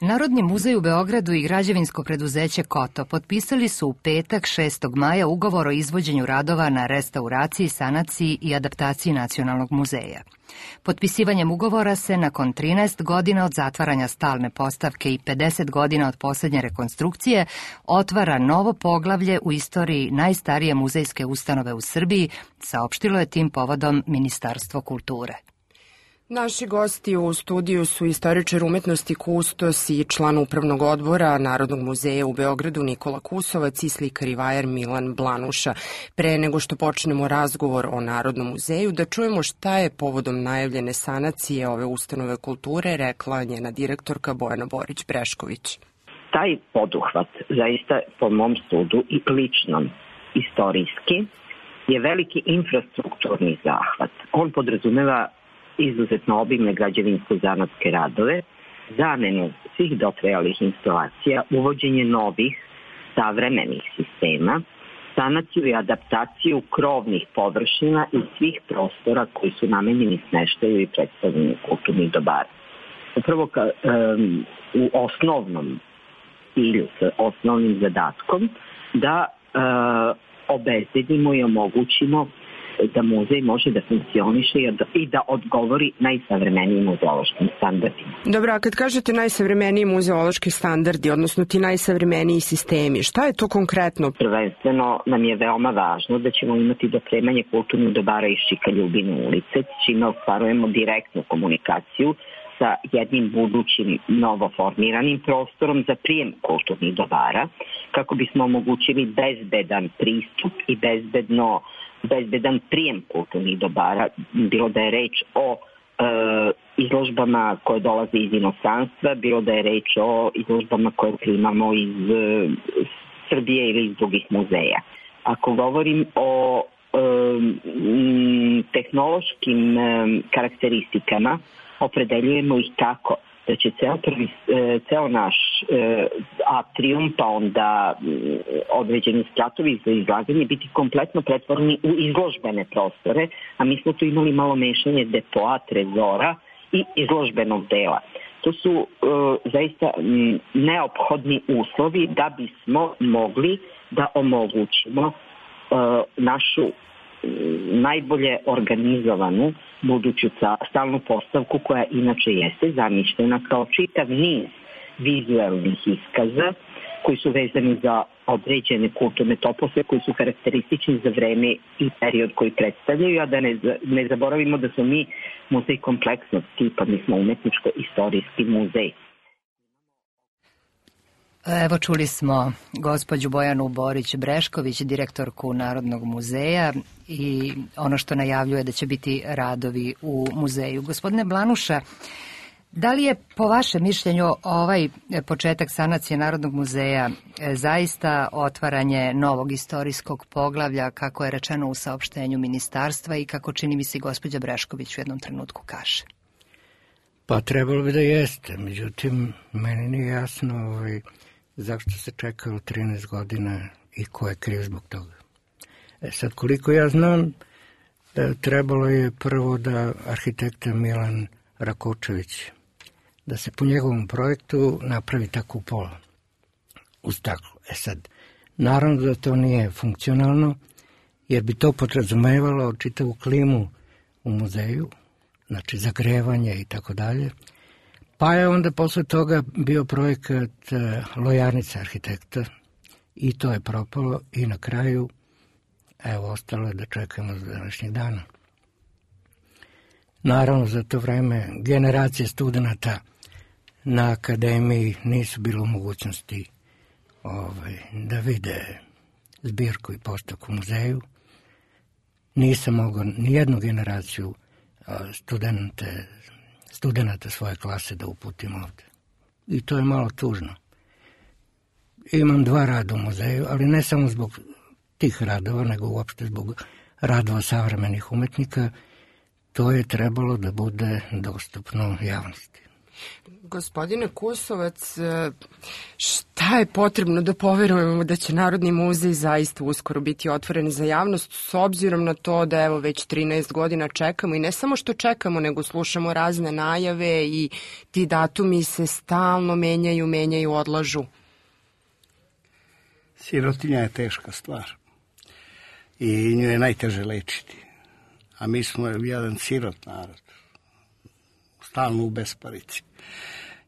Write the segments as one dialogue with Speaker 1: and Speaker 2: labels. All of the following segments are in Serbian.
Speaker 1: Narodni muzej u Beogradu i građevinsko preduzeće Koto potpisali su u petak 6. maja ugovor o izvođenju radova na restauraciji, sanaciji i adaptaciji Nacionalnog muzeja. Potpisivanjem ugovora se nakon 13 godina od zatvaranja stalne postavke i 50 godina od posljednje rekonstrukcije otvara novo poglavlje u istoriji najstarije muzejske ustanove u Srbiji, saopštilo je tim povodom Ministarstvo kulture.
Speaker 2: Naši gosti u studiju su istoričar umetnosti kustos i član upravnog odbora Narodnog muzeja u Beogradu Nikola Kusovac i slikar i vajar Milan Blanuša. Pre nego što počnemo razgovor o Narodnom muzeju, da čujemo šta je povodom najavljene sanacije ove ustanove kulture rekla njena direktorka Bojana Borić-Brešković.
Speaker 3: Taj poduhvat, zaista po mom sudu i ličnom istorijski, je veliki infrastrukturni zahvat. On podrazumeva izuzetno obimne građevinsko-zanatske radove, zamenu svih dotrajalih instalacija, uvođenje novih savremenih sistema, sanaciju i adaptaciju krovnih površina i svih prostora koji su namenjeni smeštaju i predstavljanju kulturnih dobara. Upravo u osnovnom cilju, sa osnovnim zadatkom, da obezbedimo i omogućimo da muzej može da funkcioniše i da odgovori najsavremenijim muzeološkim standardima.
Speaker 2: Dobro, a kad kažete najsavremeniji muzeološki standardi, odnosno ti najsavremeniji sistemi, šta je to konkretno?
Speaker 3: Prvenstveno nam je veoma važno da ćemo imati dopremanje kulturnih dobara iz Šika Ljubine ulice, čime ostvarujemo direktnu komunikaciju sa jednim budućim novoformiranim prostorom za prijem kulturnih dobara, kako bismo omogućili bezbedan pristup i bezbedan prijem kulturnih dobara, bilo da je reč o izložbama koje dolaze iz inostranstva, bilo da je reč o izložbama koje primamo iz Srbije ili iz drugih muzeja. Ako govorim o tehnološkim karakteristikama, opredeljujemo ih tako da će ceo naš atrium, pa onda određeni spratovi za izlaganje biti kompletno pretvoreni u izložbene prostore, a mi smo tu imali malo mešanje depoa, trezora i izložbenog dela. To su zaista neophodni uslovi da bismo mogli da omogućimo našu najbolje organizovanu buduću stalnu postavku, koja inače jeste zamišljena kao čitav niz vizualnih iskaza koji su vezani za određene kulturne topose koji su karakteristični za vreme i period koji predstavljaju, a da ne zaboravimo da smo mi muzej kompleksnog tipa, mi smo umetničko-istorijski muzej.
Speaker 1: Evo, čuli smo gospođu Bojanu Borić-Brešković, direktorku Narodnog muzeja, i ono što najavljuje da će biti radovi u muzeju. Gospodine Blanuša, da li je po vašem mišljenju ovaj početak sanacije Narodnog muzeja zaista otvaranje novog istorijskog poglavlja, kako je rečeno u saopštenju ministarstva i kako čini mi se gospođa Brešković u jednom trenutku kaže?
Speaker 4: Pa trebalo bi da jeste, međutim, meni nije jasno zašto se čekalo 13 godina i ko je kriv zbog toga. Sad, koliko ja znam, trebalo je prvo da arhitekta Milan Rakočević, da se po njegovom projektu napravi ta kupola u staklu. Sad, naravno da to nije funkcionalno, jer bi to podrazumevalo čitavu klimu u muzeju, znači zagrevanje i tako dalje. Pa je onda posle toga bio projekat Lojarnica arhitekta i to je propalo i na kraju, evo, ostalo je da čekamo za današnjeg dana. Naravno, za to vreme generacije studenta na akademiji nisu bilo u mogućnosti da vide zbirku i postavku u muzeju. Nisam mogao nijednu generaciju studenata svoje klase da uputim ovde. I to je malo tužno. Imam 2 rada u muzeju, ali ne samo zbog tih radova, nego uopšte zbog radova savremenih umetnika. To je trebalo da bude dostupno javnosti.
Speaker 2: Gospodine Kusovac, šta je potrebno da poverujemo da će Narodni muzej zaista uskoro biti otvoren za javnost, s obzirom na to da evo već 13 godina čekamo i ne samo što čekamo, nego slušamo razne najave i ti datumi se stalno menjaju, odlažu?
Speaker 5: Sirotinja je teška stvar i nju je najteže lečiti, a mi smo jedan sirot narod, stalno u besparici.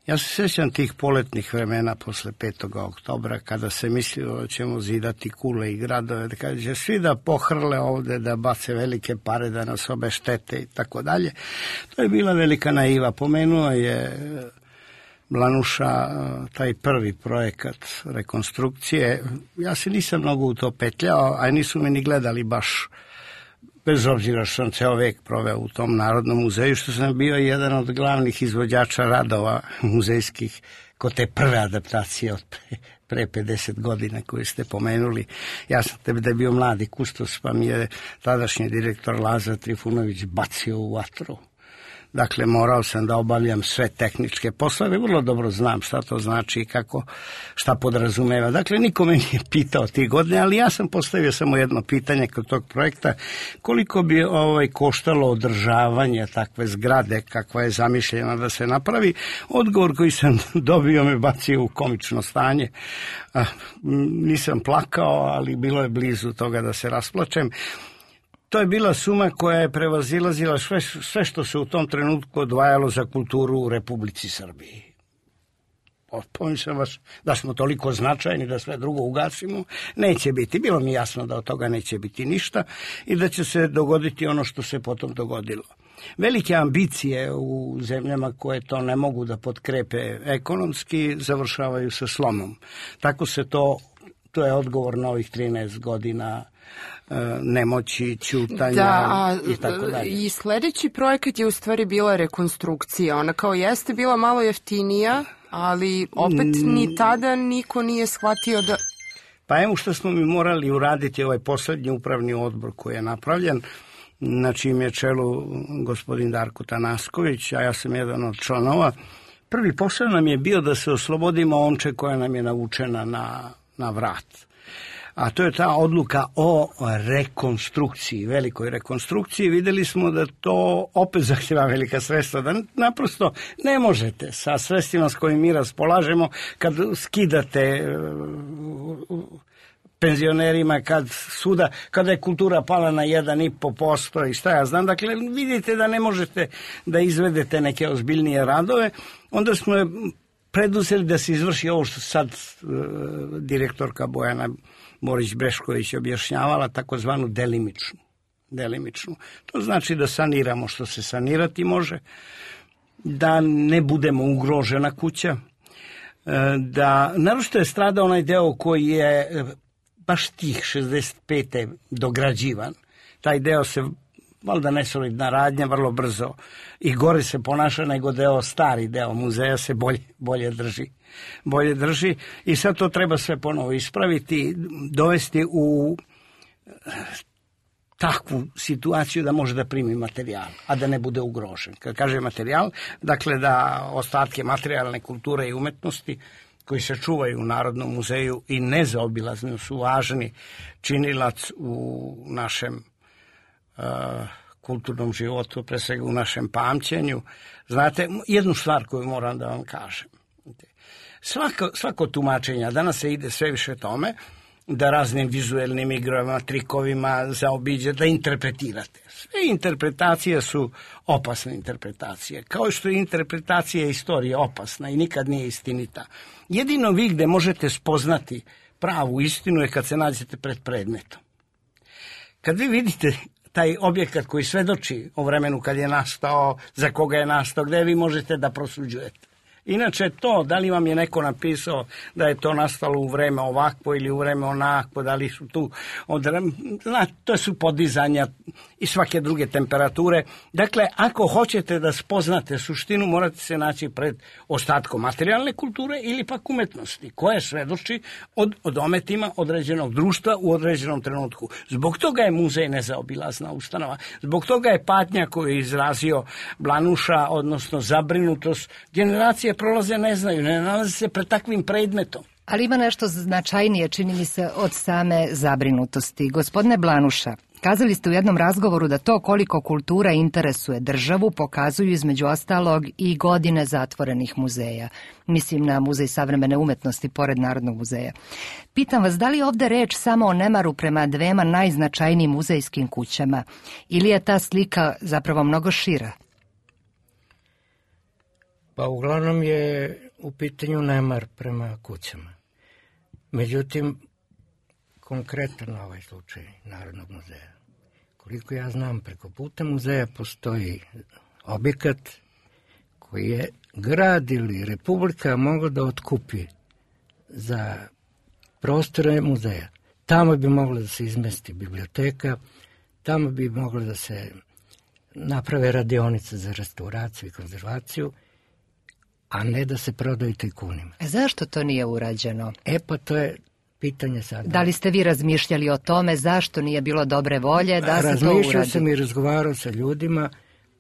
Speaker 5: Ja se sjećam tih poletnih vremena posle 5. oktobra, kada se mislilo da ćemo zidati kule i gradove, da kada će svi da pohrle ovde, da bace velike pare, da nas obeštete i tako dalje. To je bila velika naiva. Pomenuo je Blanuša taj prvi projekat rekonstrukcije. Ja se nisam mnogo u to petljao, a nisu me ni gledali baš, bez obzira što sam ceo vek proveo u tom Narodnom muzeju, što sam bio jedan od glavnih izvođača radova muzejskih kod te prve adaptacije od pre 50 godina koju ste pomenuli. Ja sam tebe da je bio mladi kustos, pa mi je tadašnji direktor Lazar Trifunović bacio u vatru. Dakle, morao sam da obavljam sve tehničke poslove, vrlo dobro znam šta to znači i šta podrazumeva. Dakle, niko me nije pitao tih godine, ali ja sam postavio samo jedno pitanje kod tog projekta, koliko bi koštalo održavanje takve zgrade kakva je zamišljena da se napravi. Odgovor koji sam dobio me bacio u komično stanje. Nisam plakao, ali bilo je blizu toga da se rasplačem. To je bila suma koja je prevazilazila sve što se u tom trenutku odvajalo za kulturu u Republici Srbiji. Pomišljam vas da smo toliko značajni da sve drugo ugasimo. Neće biti. Bilo mi jasno da od toga neće biti ništa i da će se dogoditi ono što se potom dogodilo. Velike ambicije u zemljama koje to ne mogu da potkrepe ekonomski završavaju sa slomom. Tako se to je odgovor na ovih 13 godina nemoći, ćutanja i tako dalje.
Speaker 2: I sledeći projekat je u stvari bila rekonstrukcija. Ona kao jeste bila malo jeftinija, ali opet ni tada niko nije shvatio da...
Speaker 5: Pa evo što smo mi morali uraditi ovaj poslednji upravni odbor koji je napravljen, na čim je čelu gospodin Darko Tanasković, a ja sam jedan od članova. Prvi posao nam je bio da se oslobodimo omče koja nam je navučena na vrat. A to je ta odluka o rekonstrukciji, velikoj rekonstrukciji. Videli smo da to opet zahtjeva velika sredstva, da naprosto ne možete sa sredstvima s kojim mi raspolažemo, kad skidate penzionerima, kada je kultura pala na 1,5% i šta ja znam. Dakle, vidite da ne možete da izvedete neke ozbiljnije radove. Onda smo preduzeli da se izvrši ovo što sad direktorka Bojana Borić-Brešković objašnjavala, takozvanu delimičnu. To znači da saniramo što se sanirati može, da ne budemo ugrožena kuća, da naročito je strada onaj deo koji je baš tih 65. dograđivan. Taj deo se, valjda nesolidna radnja, vrlo brzo i gore se ponaša nego stari deo muzeja se bolje drži i sad to treba sve ponovo ispraviti, dovesti u takvu situaciju da može da primi materijal, a da ne bude ugrožen. Kad kaže materijal, dakle da ostatke materijalne kulture i umetnosti koji se čuvaju u Narodnom muzeju i nezaobilazno su važni činilac u našem kulturnom životu, pre svega u našem pamćenju. Znate, jednu stvar koju moram da vam kažem. Svako tumačenje, danas se ide sve više tome, da raznim vizuelnim igrama, trikovima zaobiđe, da interpretirate. Sve interpretacije su opasne interpretacije. Kao što je interpretacija istorije opasna i nikad nije istinita. Jedino vi gde možete spoznati pravu istinu je kad se nađete pred predmetom. Kad vi vidite taj objekat koji svedoči o vremenu kad je nastao, za koga je nastao, gde vi možete da prosuđujete. Inače to, da li vam je neko napisao da je to nastalo u vreme ovakvo ili u vreme onakvo, da li su tu, to su podizanja i svake druge temperature. Dakle, ako hoćete da spoznate suštinu, morate se naći pred ostatkom materijalne kulture ili pak umetnosti, koje svedoči o dometima određenog društva u određenom trenutku. Zbog toga je muzej nezaobilazna ustanova. Zbog toga je patnja koju je izrazio Blanuša, odnosno zabrinutost. Generacije prolaze, ne znaju, ne nalaze se pred takvim predmetom.
Speaker 1: Ali ima nešto značajnije, čini mi se, od same zabrinutosti. Gospodine Blanuša, kazali ste u jednom razgovoru da to koliko kultura interesuje državu pokazuju između ostalog i godine zatvorenih muzeja. Mislim na Muzej savremene umetnosti pored Narodnog muzeja. Pitam vas, da li je ovde reč samo o nemaru prema dvema najznačajnijim muzejskim kućama ili je ta slika zapravo mnogo šira?
Speaker 4: Pa uglavnom je u pitanju nemar prema kućama. Međutim, konkretan ovaj slučaj Narodnog muzeja. Koliko ja znam, preko puta muzeja postoji objekat koji je grad ili Republika mogla da otkupi za prostore muzeja. Tamo bi mogla da se izmesti biblioteka, tamo bi mogla da se naprave radionice za restauraciju i konzervaciju, a ne da se prodaju tajkunima.
Speaker 1: Zašto to nije urađeno?
Speaker 4: Pa to je pitanje sada.
Speaker 1: Da li ste vi razmišljali o tome zašto nije bilo dobre volje da se to uradi?
Speaker 4: Razmišljao sam i razgovarao sa ljudima,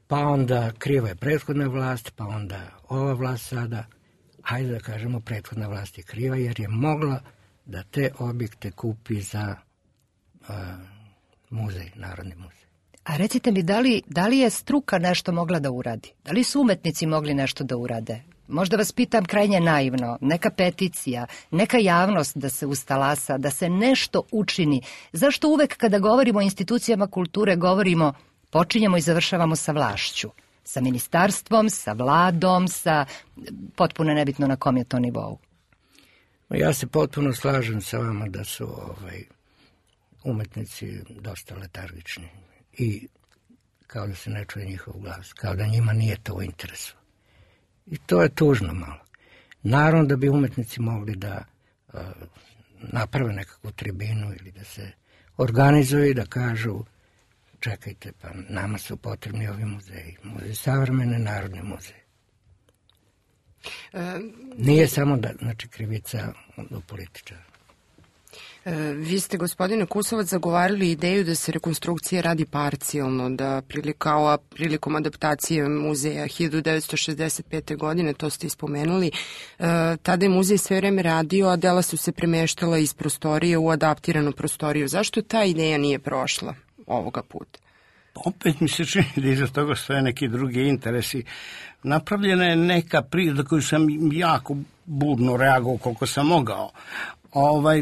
Speaker 4: pa onda kriva je prethodna vlast, pa onda ova vlast sada. Hajde da kažemo, prethodna vlast je kriva jer je mogla da te objekte kupi za muzej, Narodni muzej.
Speaker 1: A recite mi, da li je struka nešto mogla da uradi? Da li su umetnici mogli nešto da urade? Možda vas pitam krajnje naivno, neka peticija, neka javnost da se ustalasa, da se nešto učini. Zašto uvek kada govorimo o institucijama kulture govorimo, počinjemo i završavamo sa vlašću? Sa ministarstvom, sa vladom, sa potpuno nebitno na kom je to nivou?
Speaker 4: Ja se potpuno slažem sa vama da su umetnici dosta letargični i kao da se ne čuje njihov glas, kao da njima nije to u interesu. I to je tužno malo. Naravno da bi umetnici mogli da naprave nekakvu tribinu ili da se organizuju i da kažu čekajte, pa nama su potrebni ovi muzeji. Muzej savremene, Narodni muzej. Nije samo krivica do političara.
Speaker 2: Vi ste, gospodine Kusovac, zagovarali ideju da se rekonstrukcija radi parcijalno, da prilikom adaptacije muzeja 1965. godine, to ste ispomenuli, tada je muzej sve vreme radio, a dela su se premeštala iz prostorije u adaptiranu prostoriju. Zašto ta ideja nije prošla ovoga puta?
Speaker 5: Opet mi se čini da iza toga stoje neki drugi interesi. Napravljena je neka za koju sam jako burno reagovao koliko sam mogao,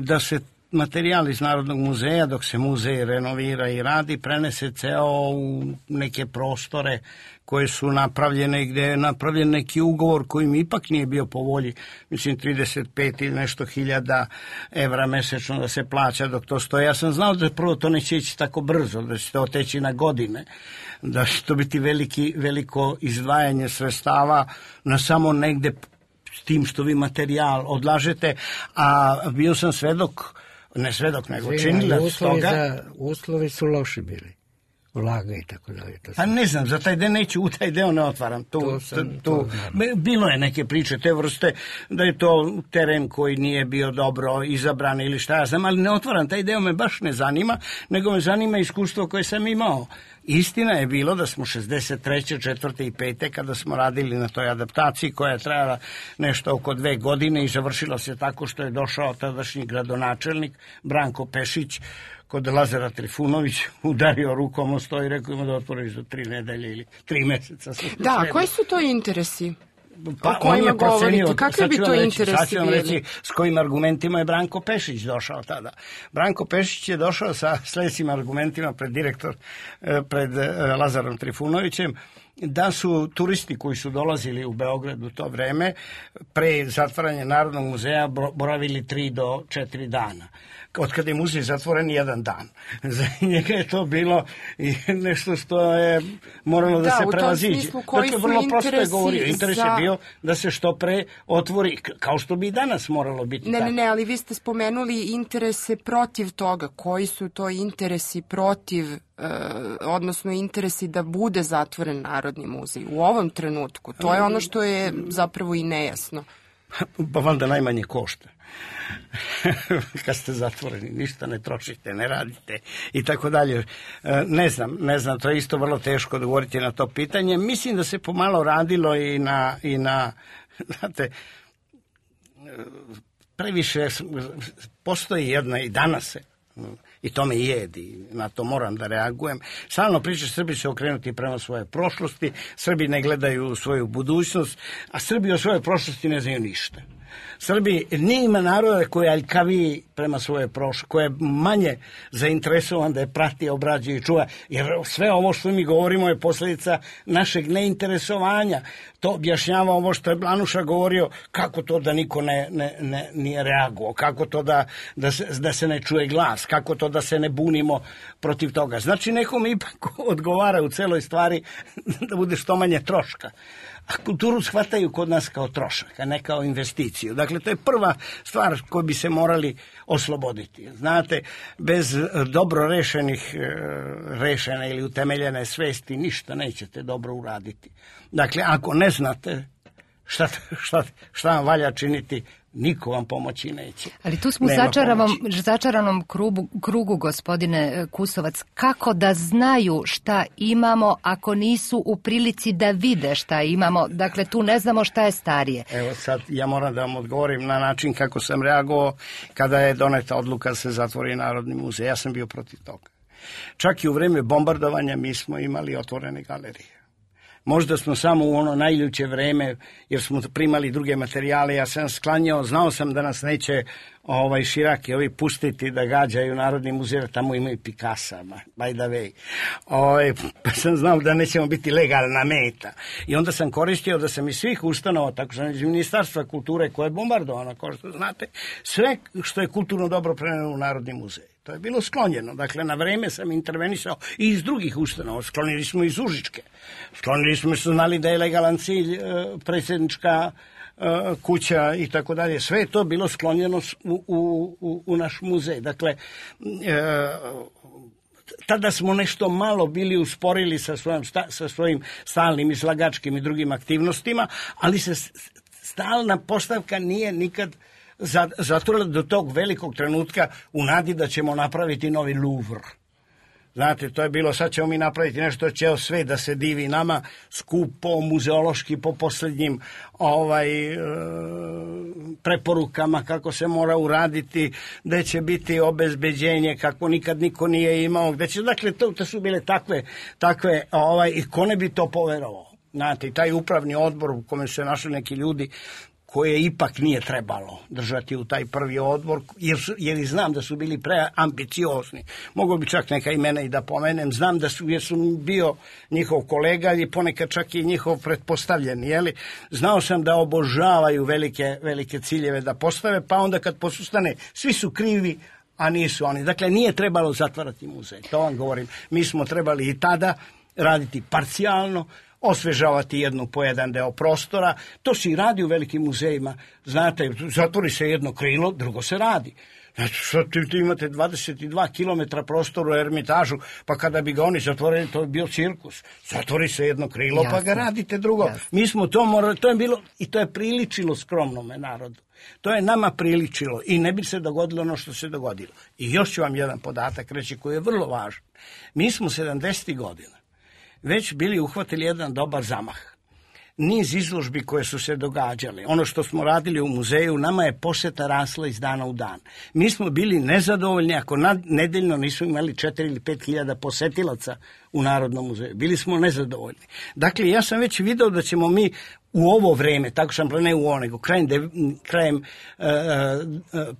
Speaker 5: da se materijal iz Narodnog muzeja, dok se muzej renovira i radi, prenese ceo u neke prostore koje su napravljene, gde je napravljen neki ugovor koji mi ipak nije bio po volji, mislim 35 ili nešto hiljada evra mesečno da se plaća dok to stoje. Ja sam znao da prvo to neće ići tako brzo, da će to oteći na godine, da će to biti veliko izdvajanje sredstava na samo negde s tim što vi materijal odlažete, a bio sam nego činilac toga.
Speaker 4: Uslovi su loši bili. Vlaga i tako dalje.
Speaker 5: Pa ne znam, za taj deo neću, u taj deo ne otvaram. Bilo je neke priče te vrste, da je to teren koji nije bio dobro izabran ili šta ja znam, ali ne otvaram, taj deo me baš ne zanima, nego me zanima iskustvo koje sam imao. Istina je bilo da smo 63. 4. i 5. kada smo radili na toj adaptaciji koja je trajala nešto oko 2 godine i završila se tako što je došao tadašnji gradonačelnik Branko Pešić kod Lazara Trifunović, udario rukom o sto i rekao ima da otvoriš za 3 nedelje ili 3 meseca.
Speaker 2: Da, koji su to interesi?
Speaker 5: Pa on je procenio, kakve bi to interesi bili? S kojim argumentima je Branko Pešić došao tada. Branko Pešić je došao sa sledećim argumentima pred Lazarom Trifunovićem, da su turisti koji su dolazili u Beograd u to vreme pre zatvaranja Narodnog muzeja boravili 3 do 4 dana. od kada je muzej zatvoren jedan dan. Za njega je to bilo nešto što je moralo da se prevaziđe.
Speaker 2: Smislu, koji
Speaker 5: dakle,
Speaker 2: su
Speaker 5: vrlo prosto je govorio. Interes
Speaker 2: za...
Speaker 5: je bio da se što pre otvori, kao što bi i danas moralo biti.
Speaker 2: Ne, ali vi ste spomenuli interese protiv toga. Koji su to interesi protiv, odnosno interesi da bude zatvoren Narodni muzej u ovom trenutku? To je ono što je zapravo i nejasno.
Speaker 5: Pa valjda najmanje košta. Kad ste zatvoreni, ništa ne trošite, ne radite i tako dalje. Ne znam, to je isto vrlo teško odgovoriti na to pitanje. Mislim da se pomalo radilo i na znate, previše postoji jedna i danas se, i to me jedi, na to moram da reagujem. Stalno priča, Srbi se okrenuti prema svoje prošlosti, Srbi ne gledaju svoju budućnost, a Srbi o svojoj prošlosti ne znaju ništa. Srbi, nije ima naroda koji je aljkaviji prema svoje prošlosti, koji je manje zainteresovan da je prati, obrađuje i čuva, jer sve ovo što mi govorimo je posljedica našeg neinteresovanja. To objašnjava ovo što je Blanuša govorio, kako to da niko nije reagovao, kako to da se ne čuje glas, kako to da se ne bunimo protiv toga. Znači, nekom ipak odgovara u celoj stvari da bude što manje troška. A kulturu shvataju kod nas kao trošak, a ne kao investiciju. Dakle, to je prva stvar koju bi se morali osloboditi. Znate, bez dobro rešene ili utemeljene svesti ništa nećete dobro uraditi. Dakle, ako ne znate šta vam valja činiti, niko vam pomoći neće.
Speaker 1: Ali tu smo u začaranom krugu, gospodine Kusovac. Kako da znaju šta imamo ako nisu u prilici da vide šta imamo? Dakle, tu ne znamo šta je starije.
Speaker 5: Evo sad, ja moram da vam odgovorim na način kako sam reagovao kada je doneta odluka da se zatvori Narodni muzej. Ja sam bio protiv toga. Čak i u vreme bombardovanja mi smo imali otvorene galerije. Možda smo samo u ono najljuće vreme, jer smo primali druge materijale, ja sam sklanjao, znao sam da nas neće širaki ovi pustiti da gađaju Narodni muzej, tamo imaju Picassa, by the way. Pa sam znao da nećemo biti legalna meta. I onda sam koristio da sam iz svih ustanova, tako sam iz Ministarstva kulture koje je bombardovano, kao što znate, sve što je kulturno dobro prenelo u Narodni muzej. To je bilo sklonjeno. Dakle, na vreme sam intervenisao i iz drugih ustanova. Sklonili smo iz Užičke. Sklonili smo, što znali da je legalan cilj predsjednička kuća i tako dalje. Sve je to bilo sklonjeno u naš muzej. Dakle, tada smo nešto malo bili usporili sa svojim stalnim izlagačkim i drugim aktivnostima, ali se stalna postavka nije nikad zatvorila do tog velikog trenutka u nadi da ćemo napraviti novi Louvre. Znate, to je bilo, sad ćemo mi napraviti nešto, će sve da se divi nama, skupo, muzeološki, po posljednjim preporukama kako se mora uraditi, gde će biti obezbeđenje kako nikad niko nije imao, gde će, dakle, to su bile takve i ko ne bi to poverovao. Znate, i taj upravni odbor u kome se našli neki ljudi koje ipak nije trebalo držati u taj prvi odbor, jer znam da su bili preambiciozni. Mogu bi čak neka imena i da pomenem. Znam jer su bio njihov kolega i ponekad čak i njihov pretpostavljeni. Znao sam da obožavaju velike ciljeve da postave, pa onda kad posustane, svi su krivi, a nisu oni. Dakle, nije trebalo zatvarati muzej. To vam govorim. Mi smo trebali i tada raditi parcijalno, osvežavati jednu po jedan deo prostora. To se i radi u velikim muzejima. Znate, zatvori se jedno krilo, drugo se radi. Znači, tu imate 22 km prostora u Ermitažu, pa kada bi ga oni zatvorili, to bi bio cirkus. Zatvori se jedno krilo, pa ga radite drugo. Jasne. Mi smo to morali, to je bilo, i to je priličilo skromnome narodu. To je nama priličilo i ne bi se dogodilo ono što se dogodilo. I još ću vam jedan podatak reći koji je vrlo važan. Mi smo 70. godina već bili uhvatili jedan dobar zamah. Niz izložbi koje su se događale, ono što smo radili u muzeju, nama je poseta rasla iz dana u dan. Mi smo bili nezadovoljni ako nedeljno nismo imali 4 ili 5 hiljada posetilaca u Narodnom muzeju. Bili smo nezadovoljni. Dakle, ja sam već video da ćemo mi u ovo vreme, tako sam ne u ovo, nego krajem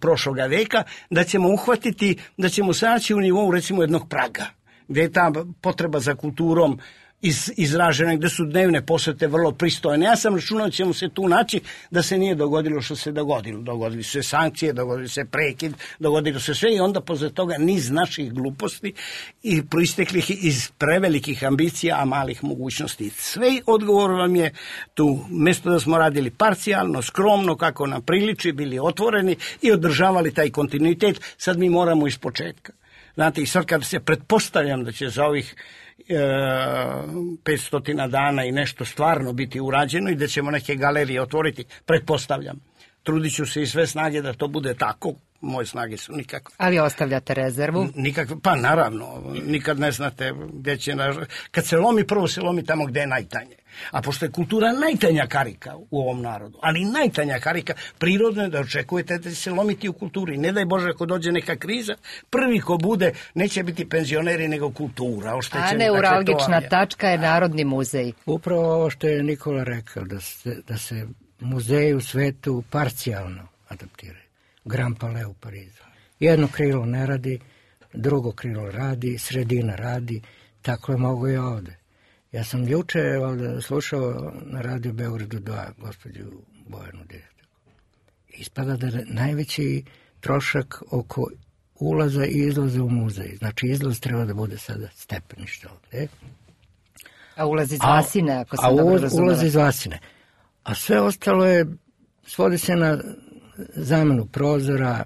Speaker 5: prošloga veka, da ćemo uhvatiti, da ćemo saći u nivou recimo jednog Praga, gdje je ta potreba za kulturom izražene, gde su dnevne posete vrlo pristojne. Ja sam računao da ćemo se tu naći da se nije dogodilo što se dogodilo. Dogodili su se sankcije, dogodili se prekid, dogodilo se sve i onda posle toga niz naših gluposti i proisteklih iz prevelikih ambicija, a malih mogućnosti. Sve odgovor vam je tu. Mesto da smo radili parcijalno, skromno, kako nam priliči, bili otvoreni i održavali taj kontinuitet, sad mi moramo iz početka. Znate, i sad kad se pretpostavljam da će za ovih 500 dana i nešto stvarno biti urađeno i da ćemo neke galerije otvoriti, pretpostavljam. Trudit ću se i sve snage da to bude tako. Moje snage su nikakve.
Speaker 1: Ali ostavljate rezervu?
Speaker 5: Nikakve, pa naravno, nikad ne znate gde će... Kad se lomi, prvo se lomi tamo gde je najtanje. A pošto je kultura najtanja karika u ovom narodu, ali najtanja karika, prirodno je da očekujete da će se lomiti u kulturi. Ne daj Bože ako dođe neka kriza, prvi ko bude neće biti penzioneri nego kultura.
Speaker 1: A neuralgična tačka je Narodni muzej.
Speaker 4: Upravo ovo što je Nikola rekao, da se muzeji u svetu parcijalno adaptiraju. Grand Palais u Parizu. Jedno krilo ne radi, drugo krilo radi, sredina radi, tako je mogo i ovde. Ja sam juče ovde slušao na Radio Beogradu 2 gospođu Bojanu direktorku. Ispada da je najveći trošak oko ulaza i izlaza u muzej. Znači izlaz treba da bude sada stepenište ovde.
Speaker 1: A ulaz iz Vasine, ako sam dobro razumela.
Speaker 4: Ulaz iz Vasine. A sve ostalo je, svodi se na zamenu prozora,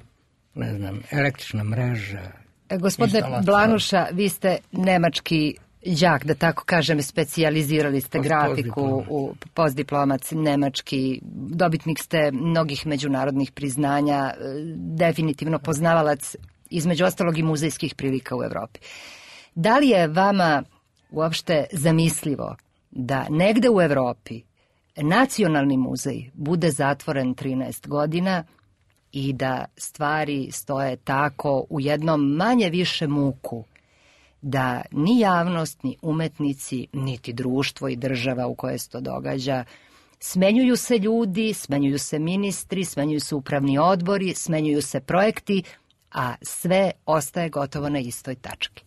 Speaker 4: ne znam, električna mreža.
Speaker 1: Gospodine Blanuša, vi ste nemački đak, da tako kažem, specijalizirali ste grafiku u postdiplomac nemački, dobitnik ste mnogih međunarodnih priznanja, definitivno poznavalac između ostalog i muzejskih prilika u Evropi. Da li je vama uopšte zamislivo da negde u Evropi Nacionalni muzej bude zatvoren 13 godina i da stvari stoje tako u jednom manje više muku, da ni javnost, ni umetnici, niti društvo i država u kojoj se to događa, smenjuju se ljudi, smenjuju se ministri, smenjuju se upravni odbori, smenjuju se projekti, a sve ostaje gotovo na istoj tački?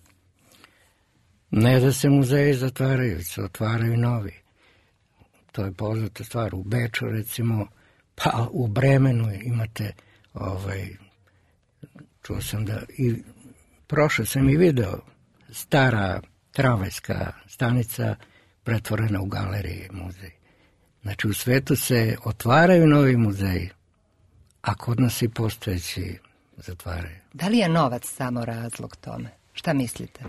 Speaker 4: Ne da se muzeji zatvaraju, se otvaraju novi. To je poznata stvar. U Beču, recimo, pa u Bremenu imate, čuo sam da, i prošao sam i video, stara tramvajska stanica pretvorena u galerije, muzej. Znači, u svetu se otvaraju novi muzeji, a kod nas i postojeći zatvaraju.
Speaker 1: Da li je novac samo razlog tome? Šta mislite?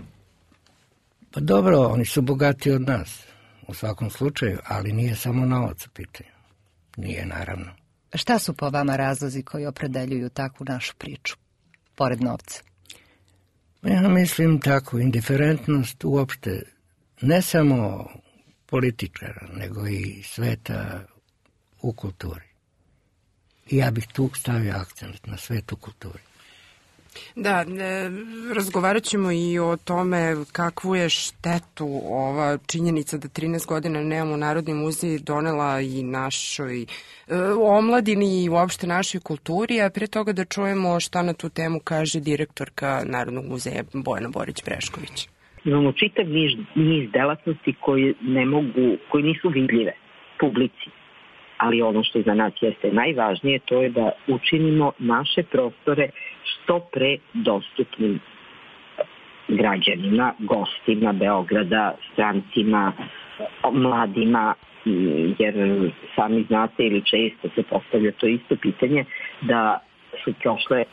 Speaker 4: Pa dobro, oni su bogati od nas. U svakom slučaju, ali nije samo novac u pitanju. Nije, naravno.
Speaker 1: Šta su po vama razlozi koji opredeljuju takvu našu priču, pored novca?
Speaker 4: Ja mislim tako, indiferentnost uopšte, ne samo političara, nego i sveta u kulturi. I ja bih tu stavio akcent na svet u kulturi.
Speaker 2: Da, razgovarat ćemo i o tome kakvu je štetu ova činjenica da 13 godina nemamo Narodni muzej donela i našoj omladini i uopšte našoj kulturi, a pre toga da čujemo šta na tu temu kaže direktorka Narodnog muzeja Bojana Borić-Brešković.
Speaker 3: Imamo čitav niz delatnosti koji nisu vidljive publici. Ali ono što za nas jeste najvažnije, to je da učinimo naše prostore što pre dostupnim građanima, gostima Beograda, strancima, mladima, jer sami znate ili često se postavlja to isto pitanje da su prošle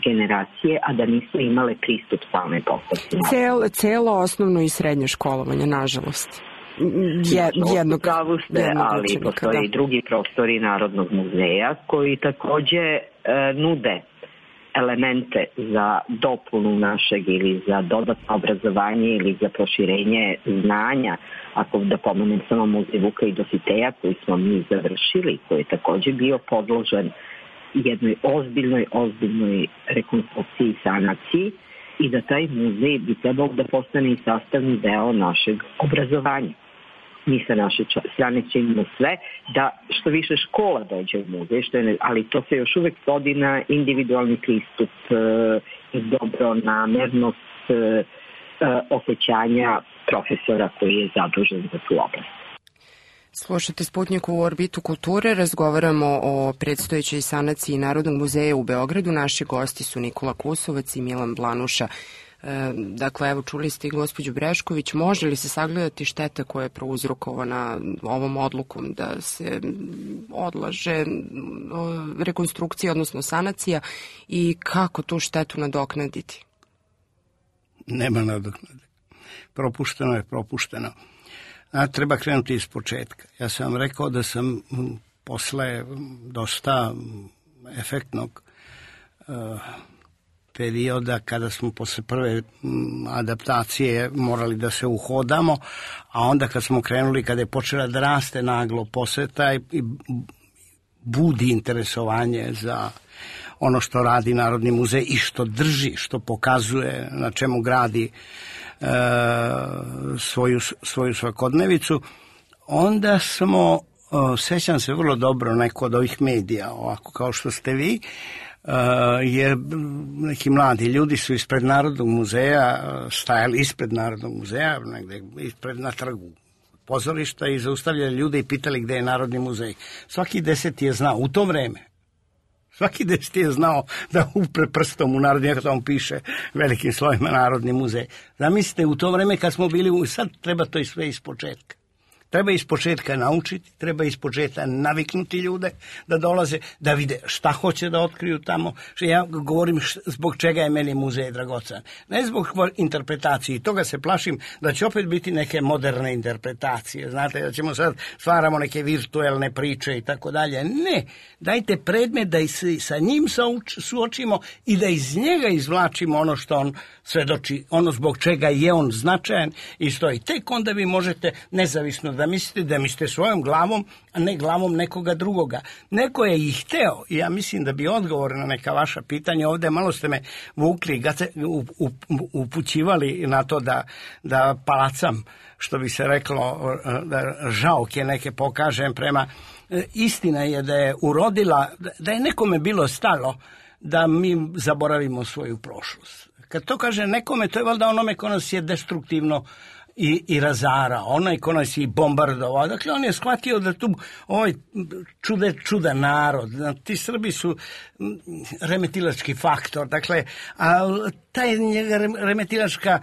Speaker 3: generacije, a da nisu imale pristup same postavci.
Speaker 2: Celo osnovno i srednje školovanje, nažalost.
Speaker 3: Pravu ste, ali postoje i drugi prostori Narodnog muzeja koji takođe nude elemente za dopunu našeg ili za dodatno obrazovanje ili za proširenje znanja. Ako da pomenem samo muzej Vuka i Dositeja koji smo mi završili, koji je takođe bio podložen jednoj ozbiljnoj rekonstrukciji i sanaciji i da taj muzej bi trebao da postane i sastavni deo našeg obrazovanja. Mi sa naše strane činimo sve da što više škola dođe u muzej, ali to se još uvek svodi na individualni pristup i dobronamernost osjećanja profesora koji je zadužen za tu oblast.
Speaker 2: Slušate Sputnjik u orbitu kulture, razgovaramo o predstojećoj sanaciji Narodnog muzeja u Beogradu. Naši gosti su Nikola Kusovac i Milan Blanuša. Dakle, evo, čuli ste i gospođu Brešković, može li se sagledati šteta koja je prouzrokovana ovom odlukom da se odlaže rekonstrukcija, odnosno sanacija, i kako tu štetu nadoknaditi?
Speaker 5: Nema nadoknade. Propušteno je propušteno. Treba krenuti iz početka. Ja sam vam rekao da sam posle dosta efektnog perioda, kada smo posle prve adaptacije morali da se uhodamo, a onda kad smo krenuli, kada je počela da raste naglo poseta i budi interesovanje za ono što radi Narodni muzej i što drži, što pokazuje, na čemu gradi svoju svakodnevicu, onda smo, sećam se vrlo dobro, neko od ovih medija, ovako kao što ste vi, jer neki mladi ljudi su ispred Narodnog muzeja, stajali ispred Narodnog muzeja, negde ispred na trgu pozorišta, i zaustavljali ljude i pitali gde je Narodni muzej. Svaki 10 je znao, u to vreme, svaki 10 je znao da upre prstom u Narodni, jak tamo piše velikim slovima Narodni muzej. Zamislite, u to vreme kad smo bili, sad treba to i sve iz početka. Treba iz početka naučiti, treba iz početka naviknuti ljude da dolaze, da vide šta hoće da otkriju tamo. Ja govorim zbog čega je meni muzej dragocen. Ne zbog interpretacije, toga se plašim da će opet biti neke moderne interpretacije. Znate, da ćemo sad stvaramo neke virtuelne priče i tako dalje. Ne, dajte predmet da i sa njim suočimo i da iz njega izvlačimo ono što on svedoči, ono zbog čega je on značajan i stoji. Tek onda vi možete nezavisno da mislite svojom glavom, a ne glavom nekoga drugoga. Neko je i hteo, i ja mislim da bi odgovor na neka vaša pitanja ovde, malo ste me vukli, upućivali na to da palacam, što bi se reklo, da žaoke neke pokažem prema. Istina je da je urodila, da je nekome bilo stalo da mi zaboravimo svoju prošlost. Kad to kaže nekome, to je valjda onome ko nas je destruktivno i razara, onaj ko nas je bombardovao. Dakle, on je shvatio da tu ovaj čudan narod, ti Srbi su remetilački faktor, dakle, a taj remetilačka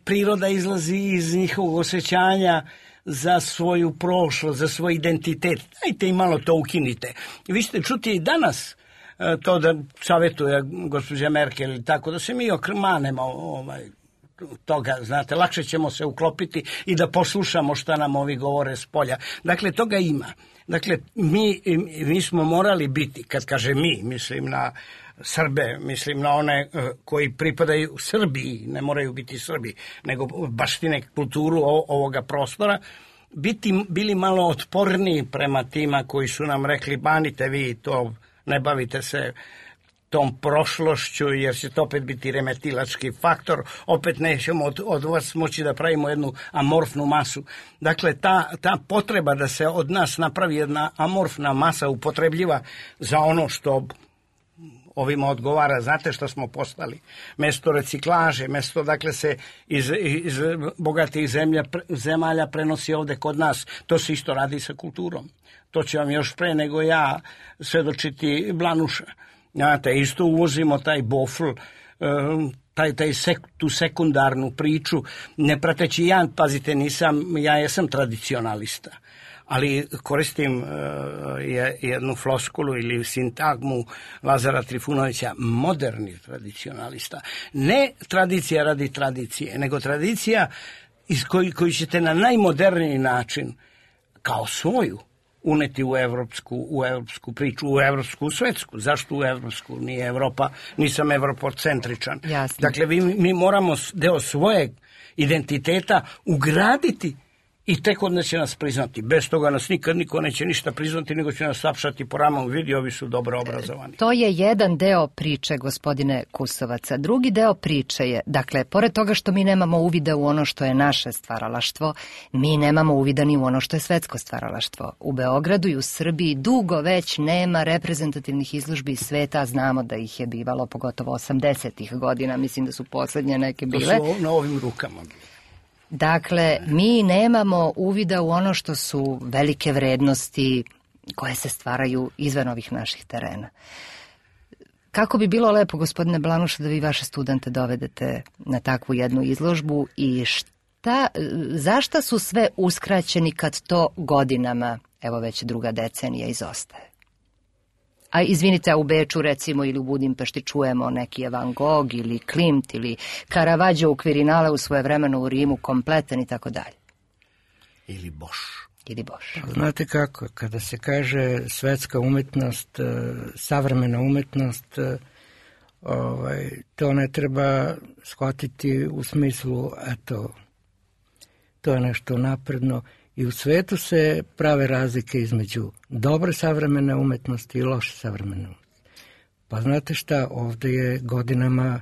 Speaker 5: priroda izlazi iz njihovog osjećanja za svoju prošlost, za svoj identitet. Dajte i malo to ukinite. Vi ćete čuti i danas to da savjetuje gospođa Merkel ili tako, da se mi okrmanemo toga, znate, lakše ćemo se uklopiti i da poslušamo šta nam ovi govore s polja. Dakle, toga ima. Dakle, mi smo morali biti, kad kaže mi, mislim na Srbe, mislim na one koji pripadaju Srbiji, ne moraju biti Srbi, nego baštine kulturu ovoga prostora, bili malo otporniji prema tima koji su nam rekli, banite vi to, ne bavite se tom prošlošću, jer će to opet biti remetilački faktor, opet nećemo od vas moći da pravimo jednu amorfnu masu. Dakle, ta potreba da se od nas napravi jedna amorfna masa upotrebljiva za ono što ovima odgovara, znate što smo postali? Mesto reciklaže, mesto, dakle, se iz bogatih zemalja prenosi ovde kod nas. To se isto radi sa kulturom. To će vam još pre nego ja svedočiti Blanuša. Znate, isto uvozimo taj bofl, tu sekundarnu priču, ne prateći ja, pazite, ja jesam tradicionalista, ali koristim jednu floskulu ili sintagmu Lazara Trifunovića, moderni tradicionalista. Ne tradicija radi tradicije, nego tradicija koju ćete na najmoderniji način, kao svoju, uneti u evropsku priču, u evropsku svetsku. Zašto u evropsku? Nije Evropa, nisam evropocentričan.
Speaker 1: Jasne.
Speaker 5: Dakle, mi moramo deo svojeg identiteta ugraditi i tek onda će nas priznati. Bez toga nas nikad niko neće ništa priznati, nego će nas sapšati po ramom, vidi, ovi su dobro obrazovani.
Speaker 1: To je jedan deo priče, gospodine Kusovaca. Drugi deo priče je, dakle, pored toga što mi nemamo uvida u ono što je naše stvaralaštvo, mi nemamo uvida ni u ono što je svetsko stvaralaštvo. U Beogradu i u Srbiji dugo već nema reprezentativnih izložbi iz sveta, znamo da ih je bivalo pogotovo 80-ih godina, mislim da su poslednje neke bile.
Speaker 5: To su na ovim rukama.
Speaker 1: Dakle, mi nemamo uvida u ono što su velike vrednosti koje se stvaraju izvan ovih naših terena. Kako bi bilo lepo, gospodine Blanuša, da vi vaše studente dovedete na takvu jednu izložbu i zašta su sve uskraćeni kad to godinama, evo već druga decenija, izostaje? A izvinite, u Beču recimo ili u Budimpešti čujemo neki Van Gogh ili Klimt ili Caravaggio u Kvirinale u svoje vremeno u Rimu, kompletan i tako dalje.
Speaker 5: Ili Bosch.
Speaker 4: Znate kako, kada se kaže svetska umetnost, savremena umetnost, to ne treba shvatiti u smislu, eto, to je nešto napredno. I u svetu se prave razlike između dobre savremene umetnosti i loše savremene umetnosti. Pa znate šta, ovde je godinama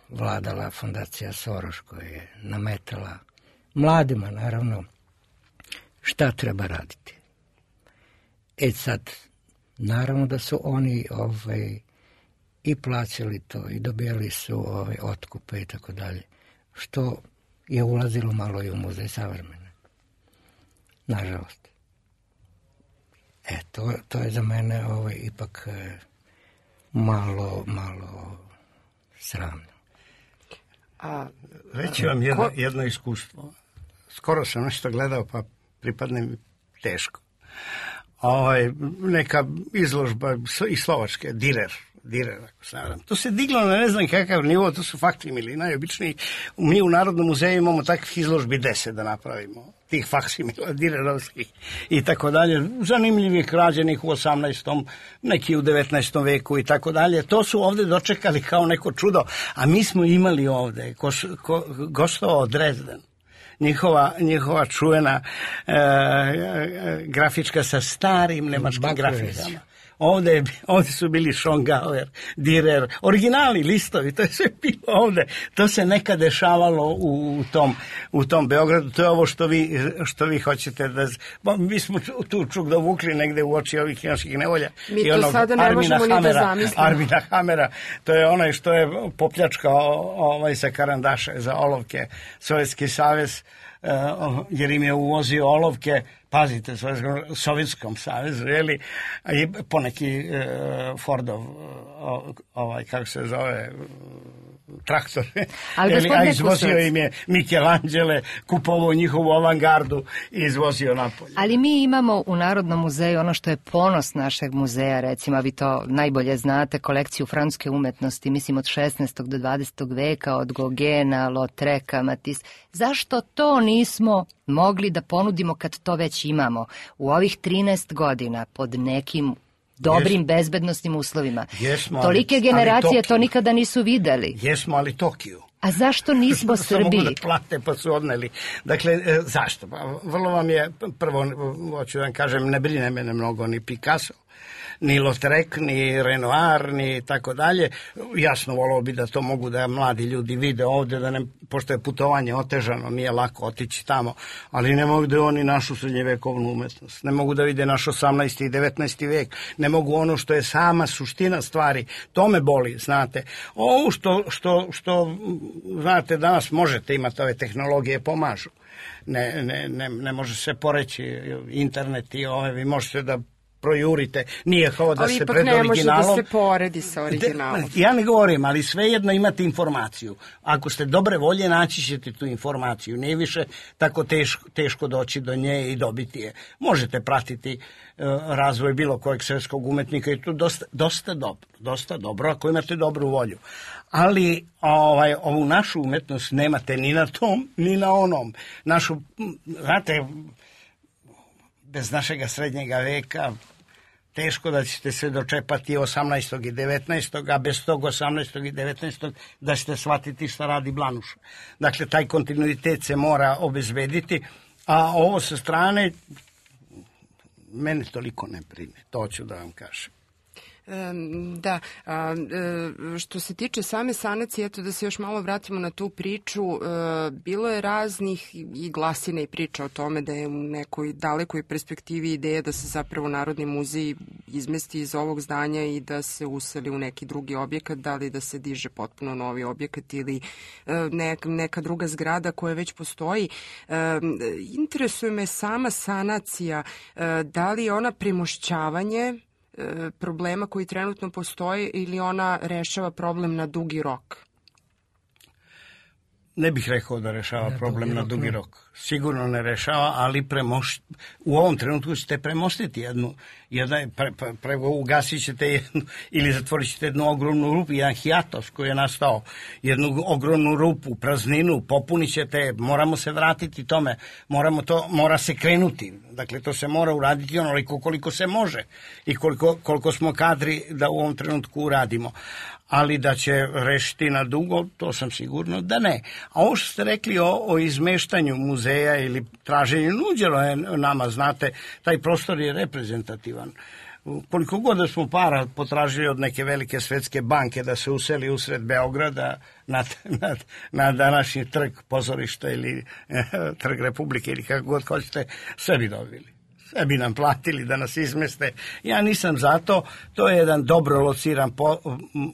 Speaker 4: vladala fondacija Soros koja je nametala mladima, naravno, šta treba raditi. Sad, naravno da su oni i plaćali to i dobijali su otkupe i tako dalje, što je ulazilo malo i u muzej savremene. Nažalost. To je za mene ipak malo sramno.
Speaker 5: Reći vam jedno iskustvo. Skoro sam nešto gledao, pa pripadne mi teško. Neka izložba iz Slovačke, Direr, ako se nadam. To se diglo na ne znam kakav nivo, to su faksimili, najobičniji. Mi u Narodnom muzeju imamo takvih izložbi 10 da napravimo, tih faksimila, direrovskih i tako dalje. Zanimljivih rađenih u 18. neki u 19. veku i tako dalje. To su ovde dočekali kao neko čudo, a mi smo imali ovde gostovao Dresden. Njihova čuvena grafička sa starim nemačkim grafikama. Ovde su bili Schongauer, Dürer, originalni listovi, to je sve bilo ovde. To se nekad dešavalo u tom Beogradu. To je ovo što vi hoćete da... Mi smo tu čuk dovukli negde u oči ovih naših nevolja.
Speaker 2: Mi to sada ne možemo ni da zamislimo.
Speaker 5: Armina Hamera, to je onaj što je popljačkao sa karandaše za olovke Sovjetski savez, jer im je uvozio olovke, pazite, Sovjetskom savezu, jeli, i poneki Fordov, kako se zove, traktor, a izvozio im je Michelangelo, kupovao njihovu avangardu i izvozio napolje.
Speaker 1: Ali mi imamo u Narodnom muzeju ono što je ponos našeg muzeja, recimo, vi to najbolje znate, kolekciju francuske umetnosti, mislim od 16. do 20. veka, od Gogena, Lautreka, Matisse. Zašto to nismo mogli da ponudimo kad to već imamo u ovih 13 godina pod nekim dobrim bezbednosnim uslovima? Tolike generacije to nikada nisu videli.
Speaker 5: Jesmo, ali Tokiju.
Speaker 1: A zašto nismo Srbiji?
Speaker 5: Mogu da plate pa su odneli. Dakle, zašto? Vrlo vam je, prvo, hoću da vam kažem, ne brine mene mnogo ni Picasso, ni Lautrec, ni Renoir, ni tako dalje. Jasno, volao bi da to mogu da mladi ljudi vide ovde, pošto je putovanje otežano, nije lako otići tamo, ali ne mogu da oni našu srednjevekovnu umetnost, ne mogu da vide naš 18. i 19. vek, ne mogu ono što je sama suština stvari, to me boli, znate. Ovo što znate, danas možete imati, ove tehnologije pomažu. Ne može se poreći internet i vi možete da projurite, nije kao da se pred originalom...
Speaker 2: Ali ipak ne može da se poredi sa originalom.
Speaker 5: Ja ne govorim, ali svejedno imate informaciju. Ako ste dobre volje, naći ćete tu informaciju. Nije više tako teško doći do nje i dobiti je. Možete pratiti razvoj bilo kojeg svetskog umetnika i to dosta dobro, ako imate dobru volju. Ali ovu našu umetnost nemate ni na tom, ni na onom. Znate, bez našega srednjega veka teško da ćete se dočepati 18. i 19. a bez tog 18. i 19. da ćete shvatiti šta radi Blanuša. Dakle, taj kontinuitet se mora obezbediti, a ovo sa strane mene toliko ne brine, to ću da vam kažem.
Speaker 2: Da, što se tiče same sanacije, eto da se još malo vratimo na tu priču, bilo je raznih i glasina i priča o tome da je u nekoj dalekoj perspektivi ideja da se zapravo Narodni muzej izmesti iz ovog zdanja i da se useli u neki drugi objekat, da li da se diže potpuno novi objekat ili neka druga zgrada koja već postoji. Interesuje me sama sanacija, da li je ona premošćavanje problema koji trenutno postoje ili ona rešava problem na dugi rok?
Speaker 5: Ne bih rekao da rešava problem na dugi rok. Sigurno ne rešava, ali u ovom trenutku ćete premostiti ugasit ćete jednu ili zatvorit ćete jednu ogromnu rupu, jedan hijatos koji je nastao, jednu ogromnu rupu, prazninu, popunit ćete, moramo se vratiti tome, mora se krenuti. Dakle, to se mora uraditi onoliko koliko se može i koliko smo kadri da u ovom trenutku uradimo. Ali da će rešiti na dugo, to sam sigurno da ne. A ovo što ste rekli o izmeštanju muzeja ili traženju, nuđeno je nama, znate, taj prostor je reprezentativan. Koliko god da smo para potražili od neke velike svetske banke da se useli usred Beograda na današnji trg pozorišta ili trg Republike ili kako god hoćete, sve bi dobili. Sve bi nam platili da nas izmeste. Ja nisam za to. To je jedan dobro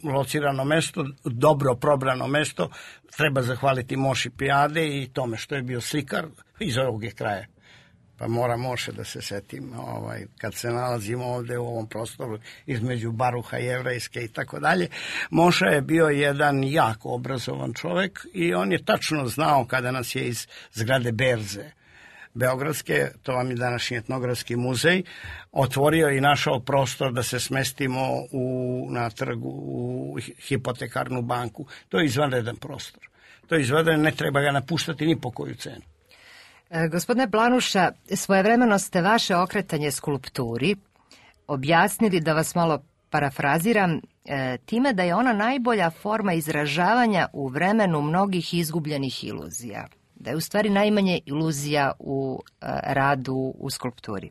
Speaker 5: locirano mesto, dobro probrano mesto. Treba zahvaliti Moši Pijade i tome što je bio slikar iz ovog je kraja. Pa mora Moše da se setim kad se nalazimo ovde u ovom prostoru između Baruha Jevrejske i tako dalje. Moša je bio jedan jako obrazovan čovek i on je tačno znao kada nas je iz zgrade Berze Beogradske, to vam je današnji etnografski muzej, otvorio i našao prostor da se smestimo na trgu u hipotekarnu banku. To je izvanredan prostor. To je izvanredan, ne treba ga napuštati ni po koju cenu.
Speaker 1: Gospodine Blanuša, svojevremeno ste vaše okretanje skulpturi objasnili, da vas malo parafraziram, time da je ona najbolja forma izražavanja u vremenu mnogih izgubljenih iluzija. Da je u stvari najmanje iluzija u radu u skulpturi.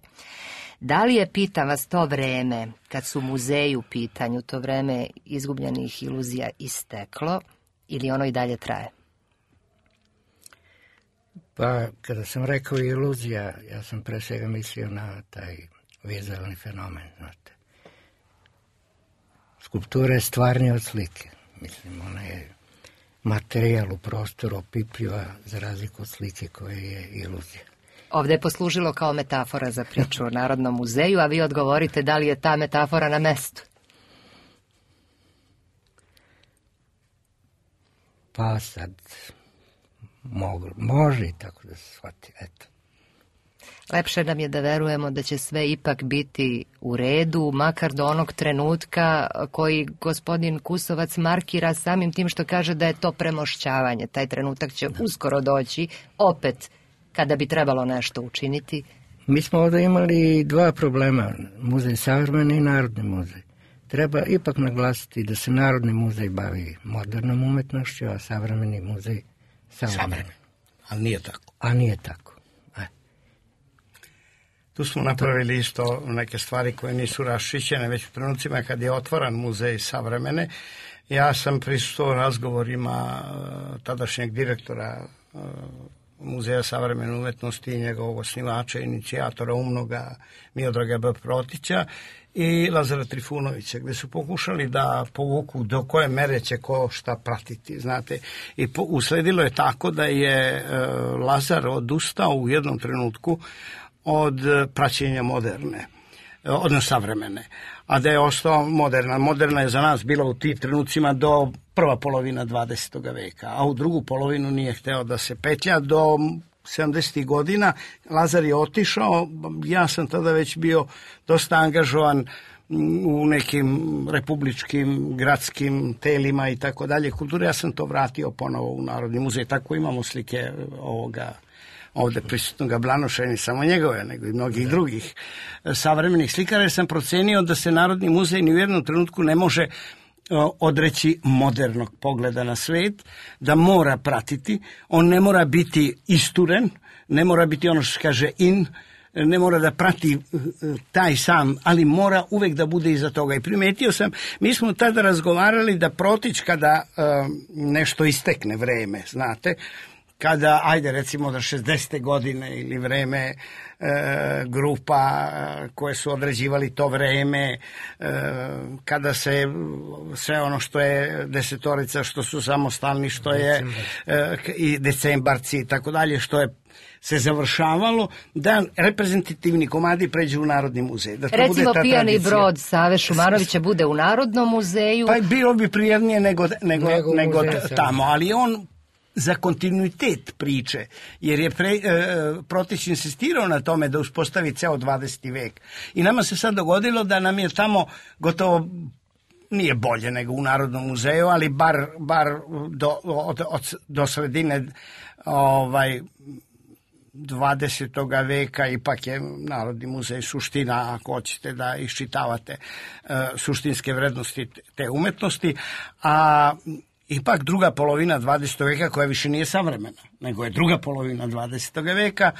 Speaker 1: Da li je, pitam vas, to vreme, kad su muzeji u pitanju, to vreme izgubljenih iluzija isteklo ili ono i dalje traje?
Speaker 4: Pa, kada sam rekao iluzija, ja sam pre svega mislio na taj vizualni fenomen, znate. Skulptura je stvarnija od slike. Mislim, ona je materijal u prostoru, opipljiva za razliku od slike koja je iluzija.
Speaker 1: Ovde je poslužilo kao metafora za priču o Narodnom muzeju, a vi odgovorite da li je ta metafora na mestu.
Speaker 4: Pa sad, može i tako da se shvati, eto.
Speaker 1: Lepše nam je da verujemo da će sve ipak biti u redu, makar do onog trenutka koji gospodin Kusovac markira samim tim što kaže da je to premošćavanje. Taj trenutak će uskoro doći, opet, kada bi trebalo nešto učiniti.
Speaker 4: Mi smo ovdje imali dva problema, muzej savremeni i Narodni muzej. Treba ipak naglasiti da se Narodni muzej bavi modernom umetnošću, a savremeni muzej savremenim.
Speaker 5: Ali nije tako.
Speaker 4: A nije tako.
Speaker 5: Tu smo napravili isto neke stvari koje nisu raščišćene već u trenucima kad je otvoran muzej savremene. Ja sam prisustvovao razgovorima tadašnjeg direktora Muzeja savremene umetnosti i njegovog osnivača, inicijatora umnoga Miodraga B. Protića i Lazara Trifunovića, gde su pokušali da povuku do koje mere će ko šta pratiti, znate. I usledilo je tako da je Lazar odustao u jednom trenutku od praćenja moderne, odnosno savremene, a da je ostao moderna. Moderna je za nas bila u tim trenucima do prva polovina 20. veka, a u drugu polovinu nije hteo da se petlja. Do 70. godina Lazar je otišao, ja sam tada već bio dosta angažovan u nekim republičkim, gradskim telima i tako dalje kulture. Ja sam to vratio ponovo u Narodni muzej, tako imamo slike ovoga ovde prisutnoga Blanuša, ne samo njegove, nego i mnogih drugih savremenih slikara, jer sam procenio da se Narodni muzej ni u jednom trenutku ne može odreći modernog pogleda na svet, da mora pratiti, on ne mora biti isturen, ne mora biti ono što se kaže in, ne mora da prati taj sam, ali mora uvek da bude iza toga. I primetio sam, mi smo tada razgovarali da protić kada nešto istekne vreme, znate, kada, ajde recimo da 60. godine ili vreme grupa koje su određivali to vreme, kada se sve ono što je desetorica, što su samostalni, što je i decembarci i tako dalje, što je se završavalo, da reprezentativni komadi pređu u Narodni muzej. Da
Speaker 1: recimo Pijani brod Save Šumanovića bude u Narodnom muzeju.
Speaker 5: Pa bilo bi prijatnije nego tamo, ali on za kontinuitet priče, jer je Protić insistirao na tome da uspostavi ceo 20. vek. I nama se sad dogodilo da nam je tamo gotovo, nije bolje nego u Narodnom muzeju, ali bar do sredine 20. veka ipak je Narodni muzej suština, ako hoćete da iščitavate suštinske vrednosti te umetnosti, a ipak druga polovina 20. veka, koja više nije savremena, nego je druga polovina 20. veka,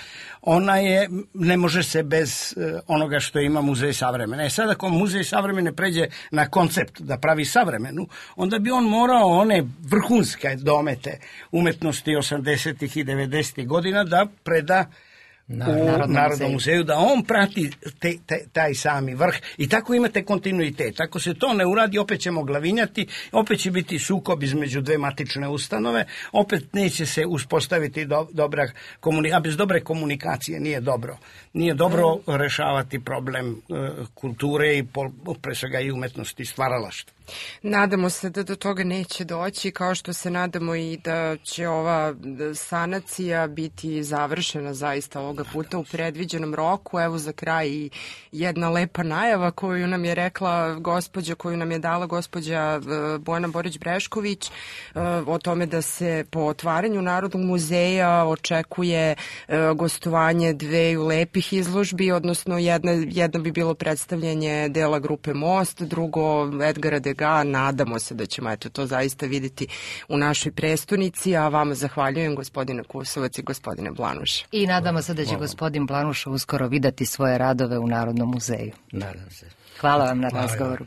Speaker 5: ona je, ne može se bez onoga što ima Muzej savremene. Sad ako Muzej savremene pređe na koncept da pravi savremenu, onda bi on morao one vrhunske domete umetnosti 80. i 90. godina da preda u Narodnom muzeju, da on prati taj sami vrh i tako imate kontinuitet. Ako se to ne uradi, opet ćemo glavinjati, opet će biti sukob između dve matične ustanove, opet neće se uspostaviti dobra komunikacija, a bez dobre komunikacije nije dobro rešavati problem kulture i pre svega i umetnosti stvaralaštva.
Speaker 2: Nadamo se da do toga neće doći, kao što se nadamo i da će ova sanacija biti završena zaista ovoga puta u predviđenom roku. Evo za kraj i jedna lepa najava koju nam je rekla gospođa, koju nam je dala gospođa Bojana Borić-Brešković o tome da se po otvaranju Narodnog muzeja očekuje gostovanje dveju lepih izložbi, odnosno jedna bi bilo predstavljanje dela grupe Most, drugo Edgara Degas. Nadamo se da ćemo to zaista vidjeti u našoj prestonici, a vama zahvaljujem gospodine Kusovac i gospodine Blanuša.
Speaker 1: I nadamo se da će gospodin Blanuša uskoro videti svoje radove u Narodnom muzeju.
Speaker 4: Nadam se.
Speaker 1: Hvala vam na razgovoru.